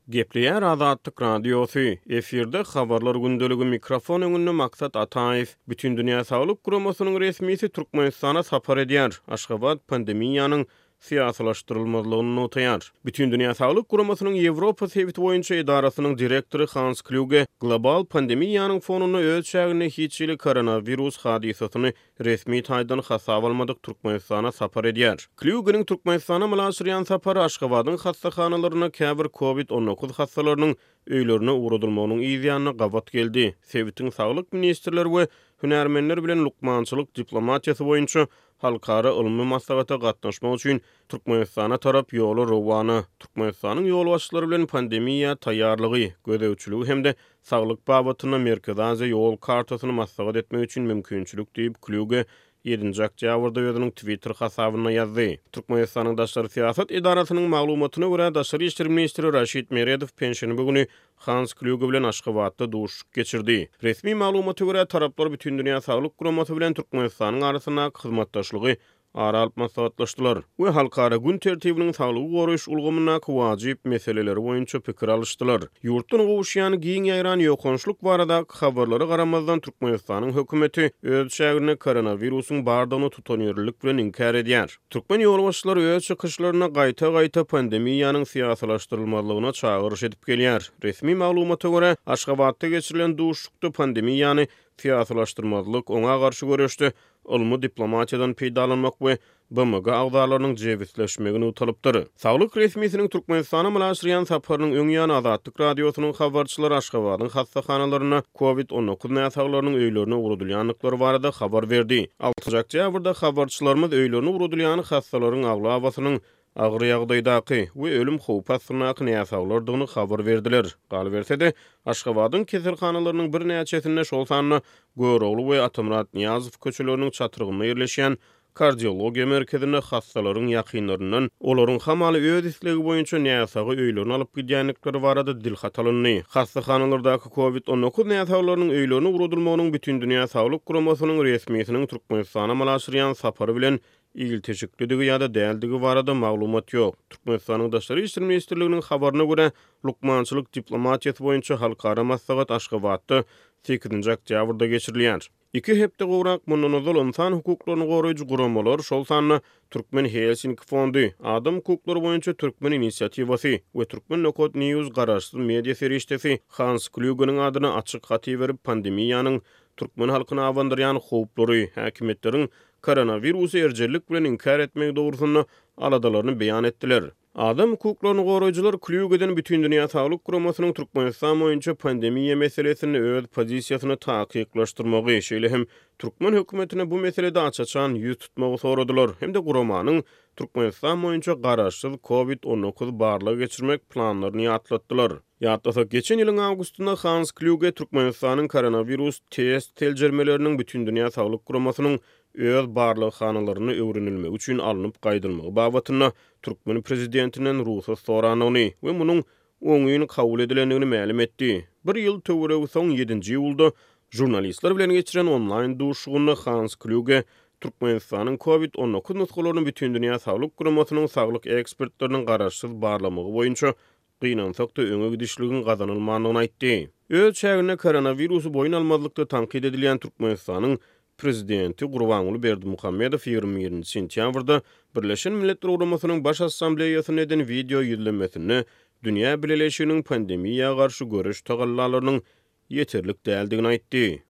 Gepleýär Azatlyk Radiosy, efirde Habarlar gündeligi, mikrofon öňünde Maksat Ataýew. Bütindünýä Saglyk Guramasynyň resmisi Türkmenistana sapar edýär, Aşgabat pandemiýanyň syýasylaşdyrylmazlygyny nygtaýar. Bütindünýä Saglyk Guramasynyň Ýewropa sebiti boýunça edarasynyň direktory Hans Klýuge global pandemiýanyň fonunda öz çäginde hiç hili koronawirus hadysasyny resmi taýdan hasaba almadyk Türkmenistana sapar edýär. Klýugeniň Türkmenistana amala aşyrýan sapary Aşgabadyň hassahanalarynda käbir Covid 19 hassalarynyň öýlerine ugradylmagynyň yz ýanyna gabat geldi. Sebitiň saglyk ministrleri we hünärmenler bilen lukmançylyk diplomatiýasy boýunça halkara ylmy maslahata gatnaşmak üçin Türkmenistana tarap ýola rowana. Türkmenistanyň ýolbaşçylary bilen pandemiýa taýýarlygy, gözegçiligi hem-de Saglyk babatynda Merkezi Aziýa ýol kartasyny maslahat etmek üçin mümkinçilik diýip, Klýuge ýedinji oktýabrda özüniň Twitter hasabynda ýazdy. Türkmenistanyň daşary syýasat edarasynyň maglumatyna görä, daşary işler ministri Raşid Meredow penşenbe güni Hans Klýuge bilen Aşgabatda duşuşyk geçirdi. Resmi maglumata görä, taraplar Bütindünýä Saglyk Guramasy bilen Türkmenistanyň arasyndaky hyzmatdaşlygy ara alyp maslahatlaşdylar we halkara gün tertibiniň saglygy goraýyş ulgamyndaky wajyp meseleleri boýunça pikir alyşdylar. Ýurtdan gowuşýan giň ýaýran ýokançlyk baradaky habarlara garamazdan, Türkmenistanyň hökümeti öz çäginde koronawirusyň bardygyny tutanýerlilik bilen inkär edýär. Türkmen ýolbaşçylary öz çykyşlarynda gaýta-gaýta pandemiýanyň syýasylaşdyrylmazlygyna çagyryş edip gelýär. Resmi maglumata görä, Aşgabatda geçirilen duşuşykda pandemiýany syýasylaşdyrmazlyk, oňa garşy göreşde ylmy diplomatiýadan peýdalanmak we BMG agzalarynyň jebisleşmegi nygtalypdyr. Saglyk resmisiniň Türkmenistana amala aşyrýan saparynyň öň ýany Azatlyk Radiosynyň habarçylary Aşgabadyň hassahanalarynda Covid 19 näsaglarynyň öýlerine ugradylýandyklary barada habar berdi. Altynjy oktýabrda habarçylarymyz öýlerine ugradylýan hassalaryň aglabasynyň agyr ýagdaýdaky we ölüm howpy astyndaky näsaglardygyny habar berdiler. Galyberse-de, Aşgabadyň keselhanalarynyň birnäçesinde, şol sanda Görogly we Atamyrat Nyýazow köçeleriniň çatrygynda ýerleşýän Kardiologiýa merkezinde hassalaryň ýakynlaryndan olaryň hamala öz islegi boýunça näsagy öýlerine alyp gidýändikleri barada dilhat alyndy. Hassahanalardaky Covid 19 näsaglarynyň öýlerine ugradylmagynyň Bütindünýä Saglyk Guramasynyň resmisiniň Türkmenistana amala aşyrýan sapary bilen ilteşiklidigi ýa-da däldigi barada maglumat ýok. Türkmenistanyň Daşary işler ministrliginiň habaryna görä, lukmançylyk diplomatiýasy boýunça halkara maslahat Aşgabatda sekizinji oktýabrda geçirilýär. Iki hepde gowrak mundan ozal ynsan hukuklaryny goraýjy guramalar, şol sanda Türkmen Helsinki fondy, Adam hukuklary boýunça Türkmen inisiatiwasy we Turkmen Nokat News garaşsyz media serişdesi Hans Klýugeniň adyna açyk hat iberip, pandemiýanyň türkmen halkyna abandyrýan howplary, häkimiýetleriň koronawirusy erjellik bilen inkär etmegi dogrusynda aladalaryny beýan etdiler. Adam hukuklaryny goraýjylar Klýugeden Bütindünýä Saglyk Guramasynyň Türkmenistan boýunça pandemiýa meselesinde öz pozisiýasyny takyklaşdyrmagy, şeýle hem türkmen hökümetine bu meselede aç-açan ýüz tutmagy soradylar hem-de guramanyň Türkmenistan boýunça garaşsyz Covid 19 barlag geçirmek planlaryny ýatlatdylar. Ýatlasak, geçen ýylyň awgustynda Hans Klýuge Türkmenistanyň koronawirus test seljermeleriniň Bütindünýä Saglyk Guramasynyň öz barlaghanalarynda öwrenilmegi üçin alnyp gaýdylmagy babatynda türkmen prezidentinden rugsat sorandygyny we munuň oňyn kabul edilendigini mälim etdi. Bir ýyl töweregi soň, ýedinji iýulda žurnalistler bilen geçiren onlaýn duşuşygynda Hans Klýuge Türkmenistanyň Covid 19 nusgalaryny Bütindünýä Saglyk Guramasynyň saglyk ekspertleriniň garaşsyz barlamagy boýunça gynansak-da öňe gidişligiň gazanylmandygyny aýtdy. Öz çäginde koronawirusy boýun almazlykda tankyt edilýän Türkmenistanyň Prezidenti Gurbanguly Berdimuhamedow 21-nji sentýabrda Birleşen Milletler Guramasynyň Baş Assambleýasynda eden wideo ýüzlenmesinde dünýä bileleşiginiň pandemiýa garşy göreş tagallalarynyň ýeterlik däldigini aýtdy.